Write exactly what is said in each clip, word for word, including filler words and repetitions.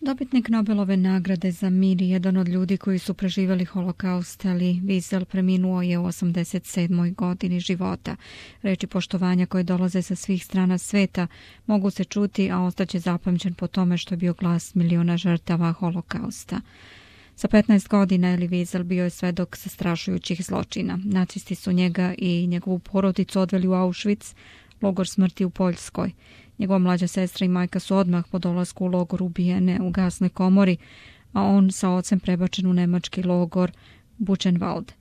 Dobitnik Nobelove nagrade za mir, jedan od ljudi koji su preživjeli holokaust, Elie Wiesel, preminuo je u osamdeset sedmoj godini života. Reči poštovanja koje dolaze sa svih strana sveta mogu se čuti, a ostaće zapamćen po tome što je bio glas miliona žrtava holokausta. Sa petnaest godina Elie Wiesel bio je svedok zastrašujućih zločina. Nacisti su njega i njegovu porodicu odveli u Auschwitz, logor smrti u Poljskoj. Njegova mlađa sestra i majka su odmah po dolasku u logor ubijene u gasnoj komori, a on sa ocem prebačen u nemački logor Buchenwald.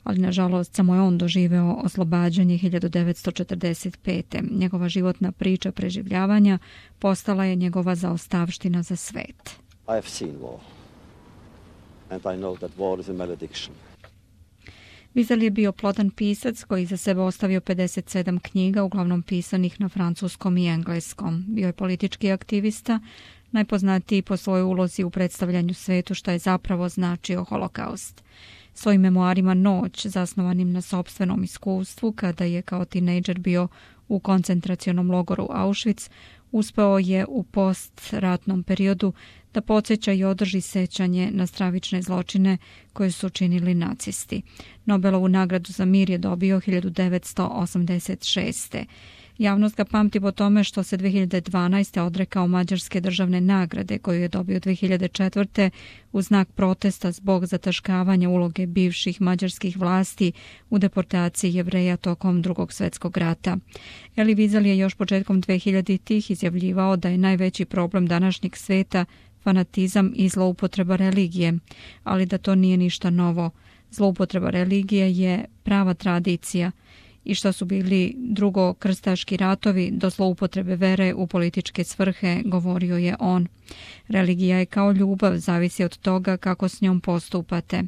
Ali nažalost samo je on doživeo oslobađanje hiljadu devetsto četrdeset pete. Njegova životna priča preživljavanja postala je njegova zaostavština za svet. I have seen war. And I know that war is a malediction. Wiesel je bio plodan pisac koji za sebe ostavio pedeset sedam knjiga, uglavnom pisanih na francuskom i engleskom. Bio je politički aktivista, najpoznatiji po svojoj ulozi u predstavljanju svetu šta je zapravo značio holokaust. Svojim memoarima Noć, zasnovanim na sopstvenom iskustvu, kada je kao tinejdžer bio u koncentracionom logoru Auschwitz, uspeo je u postratnom periodu da podsjeća i održi sećanje na stravične zločine koje su činili nacisti. Nobelovu nagradu za mir je dobio hiljadu devetsto osamdeset šeste. Javnost ga pamti po tome što se dve hiljade dvanaeste. odrekao Mađarske državne nagrade koju je dobio dve hiljade četvrte. u znak protesta zbog zataškavanja uloge bivših mađarskih vlasti u deportaciji Jevreja tokom Drugog svjetskog rata. Elie Wiesel je još početkom dve hiljaditih. izjavljivao da je najveći problem današnjeg sveta fanatizam i zloupotreba religije, ali da to nije ništa novo. Zloupotreba religije je prava tradicija i što su bili drugokrstaški ratovi do zloupotrebe vere u političke svrhe, govorio je on. Religija je kao ljubav, zavisi od toga kako s njom postupate.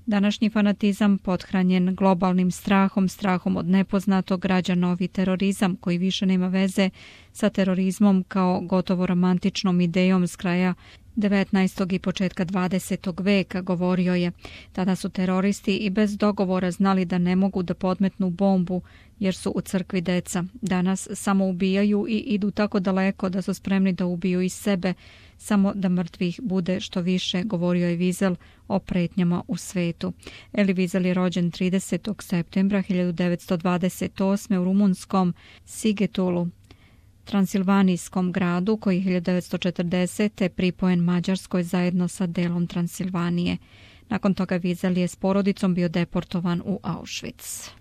Današnji fanatizam, pothranjen globalnim strahom, strahom od nepoznatog, rađa novi terorizam koji više nema veze sa terorizmom kao gotovo romantičnom idejom s kraja devetnaestog i početka dvadesetog veka, govorio je. Tada su teroristi i bez dogovora znali da ne mogu da podmetnu bombu jer su u crkvi deca. Danas samo ubijaju i idu tako daleko da su spremni da ubiju i sebe, samo da mrtvih bude što više, govorio je Wiesel o pretnjama u svetu. Elie Wiesel je rođen tridesetog septembra hiljadu devetsto dvadeset osme. u rumunskom Sigetulu, transilvanijskom gradu koji je hiljadu devetsto četrdesete. pripojen Mađarskoj zajedno sa delom Transilvanije. Nakon toga Wiesel je s porodicom bio deportovan u Auschwitz.